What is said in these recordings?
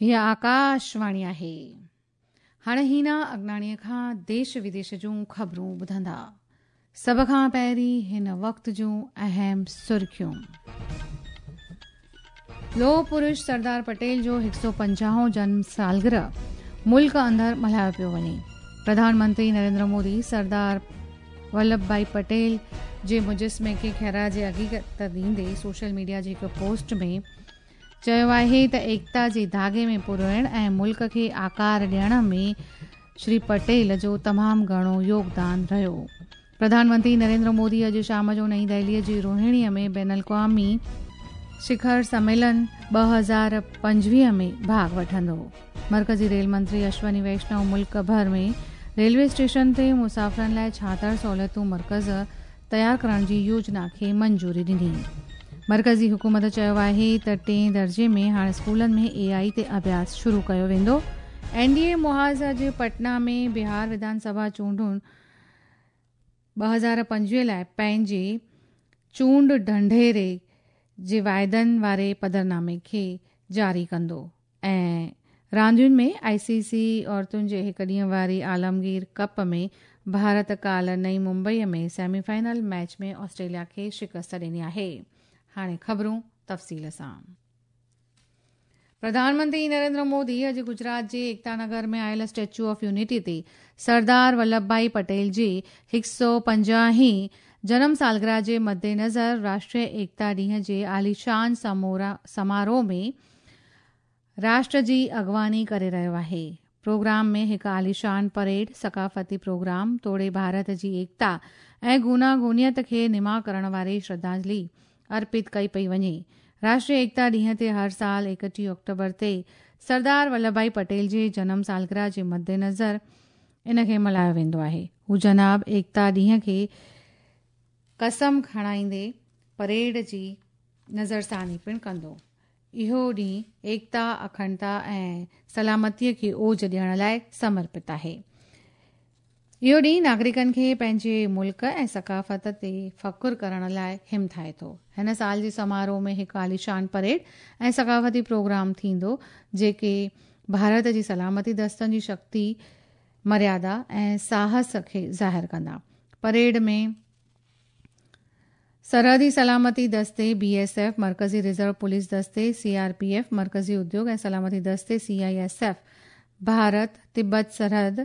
هيء آڪاشواڻي آهي. هاڻي هينا اگناڻيء کان ديش وديش جون خبرون ٻڌندا. سڀ کان پهرين هن وقت جون اهم سرخيون. لوهه پرش سردار پٽيل جو هڪ سؤ پنجاهون جنم سالگرهه ملڪ اندر ملهايو پيو وڃي. پرڌان منتري نريندر مودي سردار ولڀ ڀائي پٽيل جي مجسمي کي خراج عقيدت ڏيندي سوشل ميڊيا جي هڪ پوسٽ ۾ چيو آهي ته ايڪتا جي ڌاڳي ۾ پروئڻ ۽ ملڪ کي آڪار ڏيڻ ۾ شري پٽيل جو تمام گهڻو يوگدان رهيو. پرڌان منتري نريندر مودي اڄ شام جو نئين دهلي جي روهڻي ۾ بين الاقوامي شکر سميلن 2025 ۾ ڀاڳ وٺندو. مرڪزي ريل منتري اشوني ويشنو ملڪ ڀر ۾ ريلوي اسٽيشن تي مسافرن لاء ڇاهتر سهولتون مرڪز تيار ڪرڻ جي يوجنا کي منظوري ڏني. مرڪزي حڪومت چيو آهي ته ٽئين درجي ۾ هاڻ اسڪولن ۾ اي آء تي اڀياس شروع ڪيو ويندو. اين ڊي اي محاذ اڄ پٽنا ۾ بهار وڌان سڀا چونڊن 2025 لاء پنهنجي چونڊ ڍنڍيري جي واعدن واري پڌرنامي کي جاري ڪندو. ۽ راندين ۾ آء سي سي عورتن جي هڪ ڏينهن واري عالمگير ڪپ ۾ ڀارت ڪالهه نئين Mumbai ۾ semi final match ۾ Australia کي شڪست ڏني آهي. هاڻي خبرون تفصيل سان. پرڌان منتري نريندر مودي اڄ گجرات جي ايڪتا نگر ۾ آيل اسٽيچو آف يونٽي تي سردار ولڀ ڀائي پٽيل جي هڪ سؤ پنجاهه هين جنم سالگرهه جي مدنظر راشٽريه ايڪتا ڏينهن جي عاليشان سماروهه ۾ راشٽر جي اڳواڻي ڪري رهيو آهي. پروگرام ۾ هڪ عاليشان پريڊ، ثقافتي پروگرام توڙي ڀارت جي ايڪتا ۽ گوناگونيت کي نما ڪرڻ واري شرڌانجلي ارپت ڪئي پئي وڃي. راشٽريه ايڪتا ڏينهن تي هر سال 31 آڪٽوبر تي سردار ولڀ ڀائي پٽيل جي جنم سالگرهه جي مدنظر ان کي ملهايو ويندو آهي. هو جناب ايڪتا ڏينهن کي قسم کڻائيندي پريڊ جي نظرثاني پڻ ڪندو. اهو ڏينهن ايڪتا، اکنڊتا ۽ سلامتيء کي اوج ڏيڻ لاء سمرپت آهي. اهو ڏينهن ناگرڪن کي پنهنجي ملڪ ۽ ثقافت تي فخر ڪرڻ لاء همٿائي ٿو. هن سال جي سماروهه ۾ هڪ عاليشان پريڊ ۽ ثقافتي پروگرام ٿيندو، جيڪي ڀارت جي سلامتي دستن جي شڪتي، مريادا ۽ ساهس کي ظاهر ڪندا. پريڊ ۾. سرحدي سلامتي دستي، بي ايس ايف، مرڪزي ريزرو پوليس دستي، سي آر پي ايف، مرڪزي اديوگ ۽ سلامتي دستي، سي I S F, Bharat, Tibet سرحد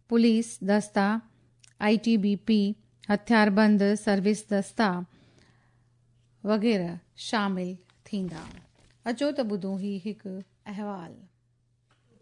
پوليس دستا، I T B P, هٿياربند سروس دستا وغيره شامل ٿيندا. اچو ته ٻڌون هي هڪ احوال.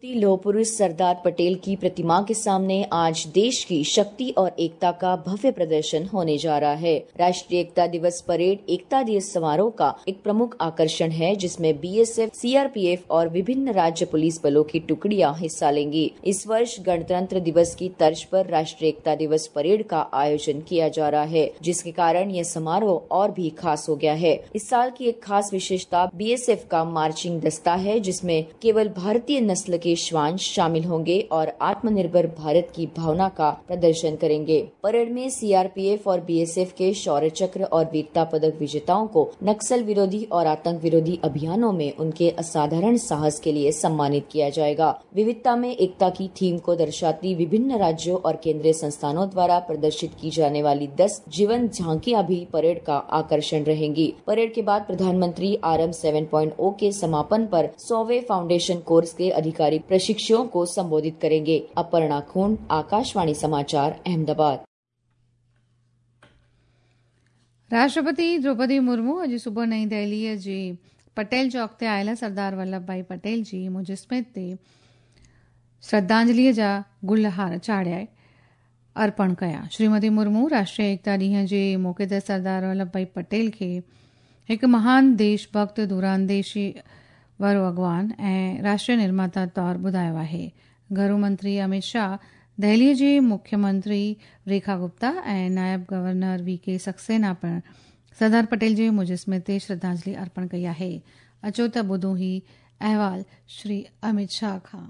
लौह पुरुष सरदार पटेल की प्रतिमा के सामने आज देश की शक्ति और एकता का भव्य प्रदर्शन होने जा रहा है। राष्ट्रीय एकता दिवस परेड एकता दिवस समारोह का एक प्रमुख आकर्षण है, जिसमें बीएसएफ, सीआरपीएफ और विभिन्न राज्य पुलिस बलों की टुकड़ियां हिस्सा लेंगी। इस वर्ष गणतंत्र दिवस की तर्ज पर राष्ट्रीय एकता दिवस परेड का आयोजन किया जा रहा है, जिसके कारण यह समारोह और भी खास हो गया है। इस साल की एक खास विशेषता बीएसएफ का मार्चिंग दस्ता है, जिसमें केवल भारतीय नस्ल के श्वान शामिल होंगे और आत्मनिर्भर भारत की भावना का प्रदर्शन करेंगे। परेड में सीआरपीएफ और बीएसएफ के शौर्य चक्र और वीरता पदक विजेताओं को नक्सल विरोधी और आतंक विरोधी अभियानों में उनके असाधारण साहस के लिए सम्मानित किया जाएगा। विविधता में एकता की थीम को दर्शाती विभिन्न राज्यों और केंद्रीय संस्थानों द्वारा प्रदर्शित की जाने वाली 10 जीवन झांकियां भी परेड का आकर्षण रहेंगी। परेड के बाद प्रधानमंत्री आरएम 7.0 के समापन पर 100वें फाउंडेशन कोर्स के अधिकारी प्रशिक्षुओं को संबोधित करेंगे। अपर्णा खून, आकाशवाणी समाचार, अहमदाबाद। राष्ट्रपति द्रौपदी मुर्मू अॼु सुबुह नई दिल्लीअ जे पटेल चौक ते आयल सरदार वल्लभ भाई पटेल जी मुजस्मे ते श्रद्धांजलीअ जा गुल हार चाढ़िया अर्पण कया। श्रीमती मुर्मू राष्ट्रीय एकता ॾींहं जे मौक़े ते सरदार वल्लभ भाई पटेल खे हिकु महान देशभक्त, दूरांदेशी वारो अॻवान ऐं राष्ट्रीय निर्माता तौर ॿुधायो आहे। घरू मंत्री अमित शाह, दिल्लीअ जे मुख्यमंत्री रेखा गुप्ता ऐं नायब गवर्नर वी के सक्सेना पिणु सरदार पटेल जे मुजस्मे ते श्रद्धांजलि अर्पण कई आहे। अचो त ॿुधूं ही अहवाल श्री अमित शाह खां।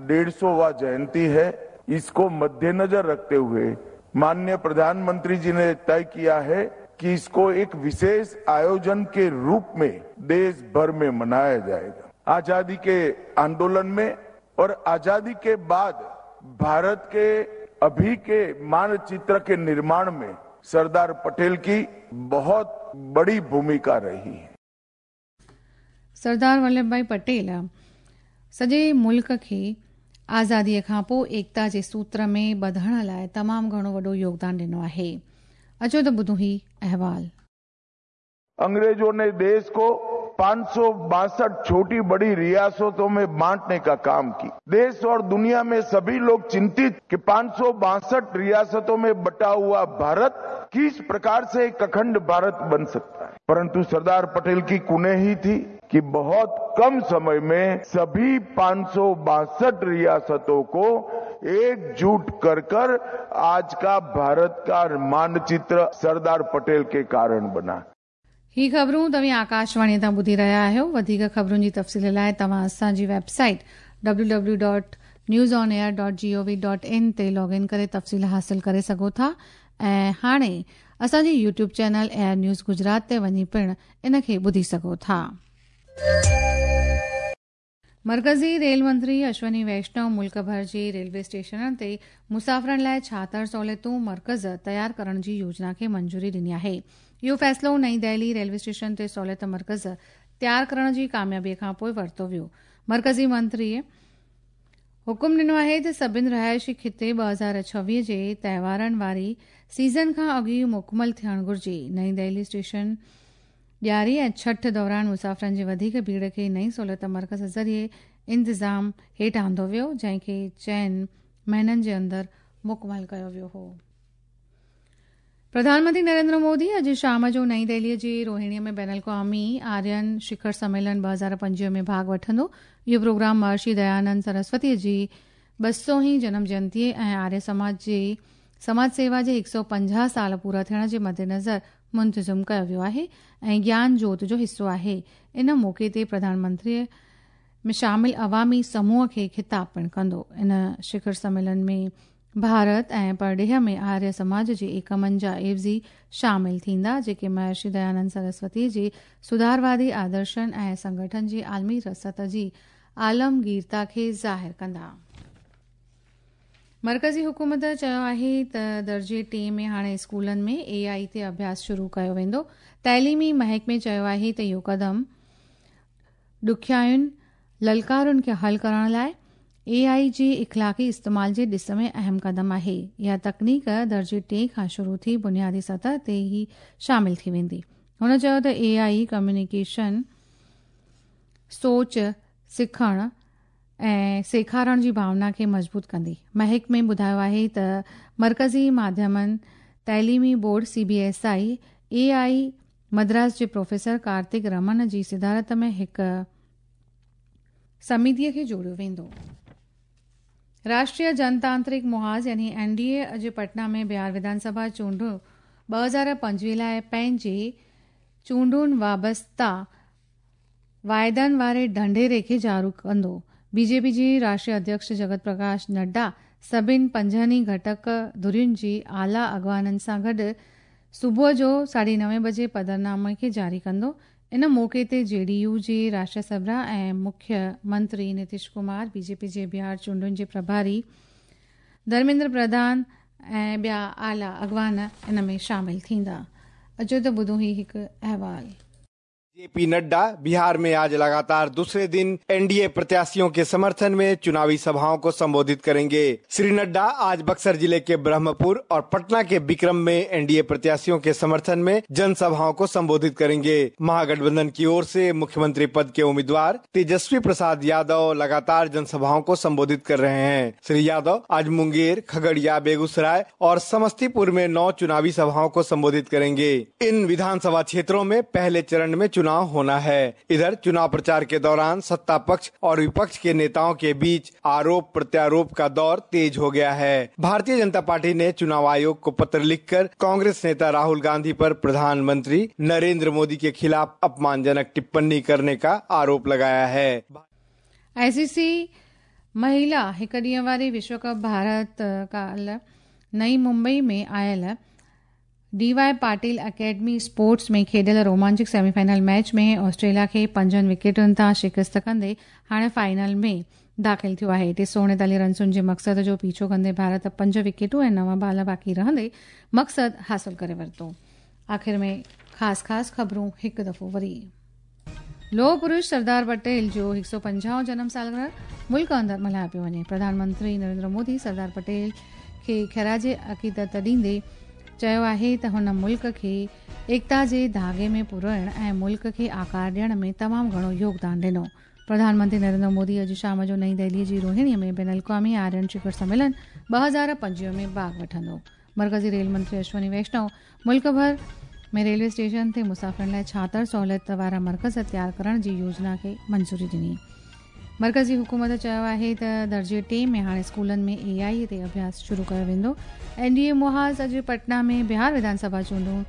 150वां जयंती है, इसको मद्देनजर रखते हुए माननीय प्रधानमंत्री जी ने तय किया है कि इसको एक विशेष आयोजन के रूप में देश भर में मनाया जाएगा। आजादी के आंदोलन में और आजादी के बाद भारत के अभी के मानचित्र के निर्माण में सरदार पटेल की बहुत बड़ी भूमिका रही है। सरदार वल्लभ भाई पटेल सॼे मुल्क खे आज़ादीअ खां पोइ एकता जे सूत्र में ॿधण लाइ तमामु घणो वॾो योगदानु ॾिनो आहे। अचो त ॿुधूं ही अहवाल। अंग्रेजों ने देश को 562 छोटी बड़ी रियासतों में बांटने का काम की। देश और दुनिया में सभी लोग चिंतित कि 562 रियासतों में बटा हुआ भारत किस प्रकार से एक अखंड भारत बन सकता है। परंतु सरदार पटेल की कुनेही थी कि बहुत कम समय में सभी 562 रियासतों को एकजुट कर कर आज का भारत का मानचित्र सरदार पटेल के कारण बना। ही ख़बरूं तव्हीं आकाशवाणी तां ॿुधी रहिया आहियो। वधीक ख़बरुनि जी तफ़सील लाइ तव्हां असांजी वेबसाइट www.newsonair.gov.in ते लॉग इन करे तफ़सील हासिल करे सघो था ऐं हाणे असांजी YouTube channel AIR news Gujarat ते वञी पिणु इन खे ॿुधी सघो था। मरकज़ी रेल मंत्री अश्वनी वैष्णव मुल्क भर जे रेलवे स्टेशननि ते मुसाफ़िरनि लाइ 76 सहूलियतूं मर्कज़ तयारु करण जी योजना खे मंजूरी ॾिनी आहे। इहो फ़ैसिलो नई दिल्ली रेलवे स्टेशन ते सहूलियत मर्कज़ तयारु करण जी कामयाबीअ खां पोइ वरितो वियो। मर्कज़ी मंत्रीअ हुकुम ॾिनो आहे त सभिनी रिहाइशी खिते 2026 जे तव्हारनि वारी सीज़न खां अॻु मुकमल थियणु घुरिजे। नई दिल्ली स्टेशन ॾियारी ऐं छठ दौरान मुसाफ़िरनि जी वधीक भीड़ खे नई सहूलियत मर्कज़ ज़रिए इंतिज़ाम हेठि आंदो वियो, जंहिंखे 4 महीननि जे अंदरि मुकमल कयो वियो हो। प्रधानमंत्री नरेंद्र मोदी अॼु शाम जो नई दिल्लीअ जे रोहिणीअ में बैनुल अक़वामी आर्यन शिखर सम्मेलन 2025 में भाॻु वठंदो। इहो प्रोग्राम महर्षि दयानंद सरस्वतीअ जी 200वीं जनम जयंतीअ ऐं आर्य समाज जे समाज सेवा जे 150 साल पूरा थियण जे मद्देनज़र मुंतज़िम कयो वियो आहे ऐं ज्ञान जोत जो हिसो आहे। इन मौक़े ते प्रधानमंत्रीअ में शामिल अवामी समूह खे ख़िताब पिणु कंदो। इन शिखर सम्मेलन में भारत ऐं परॾेह में आर्य समाज जे एकमनि जा एवज़ी शामिल थींदा, जेके महर्षि दयानंद सरस्वती जे सुधारवादी आदर्शनि ऐं संगठन जी आलमी रसद जी आलमगीरता खे ज़ाहिर कंदा। मर्कज़ी हुकूमत चयो आहे त दर्जे 3 में हाणे स्कूलनि में AI ते अभ्यास शुरू कयो वेंदो। तइलीमी महकमे चयो आहे त इहो कदम ॾुखियायुनि ललकारुनि खे हल करण लाइ AI जे इख़लाक़ी इस्तेमाल जे ॾिस में अहम कदम आहे। इहा तकनीक दर्जे 3 खां शुरू थी बुनियादी सतह ते ई शामिल थी वेंदी। हुन चयो त AI communication, सोच, सिखण ऐं सेखारण जी भावना खे मज़बूत कंदी। महकमे ॿुधायो आहे त मर्कज़ी माध्यमनि तइलीमी बोर्ड CBSE AI Madras जे प्रोफेसर कार्तिक रमन जी सिदारत में हिकु समितीअ खे जोड़ियो वेंदो। राष्ट्रीय जनतांत्रिक मुहाज़ यानी NDA अॼु पटना में बिहार विधानसभा चूंडूं 2025 लाइ पंहिंजे चूंडुनि वाबस्ता वाइदनि वारे ढंढेरे खे जारी कंदो। बीजेपी जी राष्ट्रीय अध्यक्ष जगत प्रकाश नड्डा सभिनी 5 घटक धुरियुनि जी आला अॻवाननि सां गॾु सुबुह जो 9:30 बजे पधरनामे खे जारी कंदो। इन मौक़े ते JDU जे राष्ट्रीय सरबराह ऐं मुख्य मंत्री नीतीश कुमार, बीजेपी जे बिहार चूंडुनि जे प्रभारी धर्मेंद्र प्रधान ऐं ॿिया आला अॻवान इन में शामिल थींदा। अचो त ॿुधूं ही हिकु अहवाल। जेपी नड्डा बिहार में आज लगातार दूसरे दिन एनडीए प्रत्याशियों के समर्थन में चुनावी सभाओं को संबोधित करेंगे। श्री नड्डा आज बक्सर जिले के ब्रह्मपुर और पटना के विक्रम में एनडीए प्रत्याशियों के समर्थन में जनसभाओं को संबोधित करेंगे। महागठबंधन की ओर से मुख्यमंत्री पद के उम्मीदवार तेजस्वी प्रसाद यादव लगातार जनसभाओं को संबोधित कर रहे हैं। श्री यादव आज मुंगेर, खगड़िया, बेगूसराय और समस्तीपुर में 9 चुनावी सभाओं को संबोधित करेंगे। इन विधानसभा क्षेत्रों में पहले चरण में चुनाव होना है। इधर चुनाव प्रचार के दौरान सत्ता पक्ष और विपक्ष के नेताओं के बीच आरोप प्रत्यारोप का दौर तेज हो गया है। भारतीय जनता पार्टी ने चुनाव आयोग को पत्र लिखकर कांग्रेस नेता राहुल गांधी पर प्रधानमंत्री नरेंद्र मोदी के खिलाफ अपमानजनक टिप्पणी करने का आरोप लगाया है। आईसीसी महिला हिक ॾींहं वारी विश्व कप भारत काल्ह नई मुंबई में आयल D Y Patil academy sports ۾ کيڏيل رومانچڪ سيمي فائنل ميچ ۾ آسٽريليا کي پنجن وڪيٽن تان شڪست ڪندي هاڻي فائنل ۾ داخل ٿيو آهي. 339 رنسن جي مقصد جو پيڇو ڪندي ڀارت پنج وڪيٽون ۽ نو بال باقي رهندي مقصد حاصل ڪري ورتو. آخر ۾ خاص خاص خبرون هڪ دفعو وري. لوهه پرش سردار پٽيل جو 150 جنم سالگرهه ملڪ اندر ملهايو پيو وڃي. پرڌان منتري نريندر مودي سردار پٽيل کي خراج عقيدت ڏيندي چيو آهي ته هن ملڪ کي ايڪتا جي ڌاڳي ۾ پروئڻ ۽ ملڪ کي آڪار ڏيڻ ۾ تمام گهڻو يوگدان ڏنو. پرڌان منتري نريندر مودي اڄ شام جو نئين دهلي جي روهڻي ۾ بين الاقوامي آرين شکر سميلن 2025 ۾ ڀاڳ وٺندو. مرڪزي ريل منتري اشوني ويشنو ملڪ ڀر ۾ ريلوي اسٽيشن تي مسافرن لاء 76 سهولت وارا مرڪز تيار ڪرڻ جي يوجنا کي منظوري ڏني. مرڪزي حڪومت چيو آهي ته درجي ٽي ۾ هاڻي اسڪولن ۾ اي آء تي اڀياس شروع ڪيو ويندو. اين ڊي اي محاذ اڄ پٽنا ۾ بهار وڌان سڀا چونڊون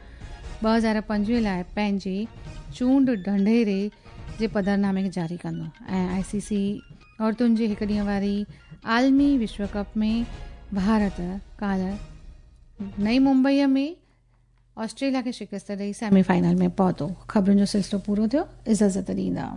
2025 لاء پنهنجي چونڊ ڍنڍيري جي پڌرنامي کي جاري ڪندو ۽ آء سي سي عورتن جي هڪ ڏينهن واري عالمي وشو ڪپ ۾ ڀارت ڪالهه نئين ممبئي ۾ آسٽريليا کي شڪست ڏئي سيمي فائنل ۾ پهتو. خبرن جو سلسلو پورو ٿيو. اجازت ڏيندا.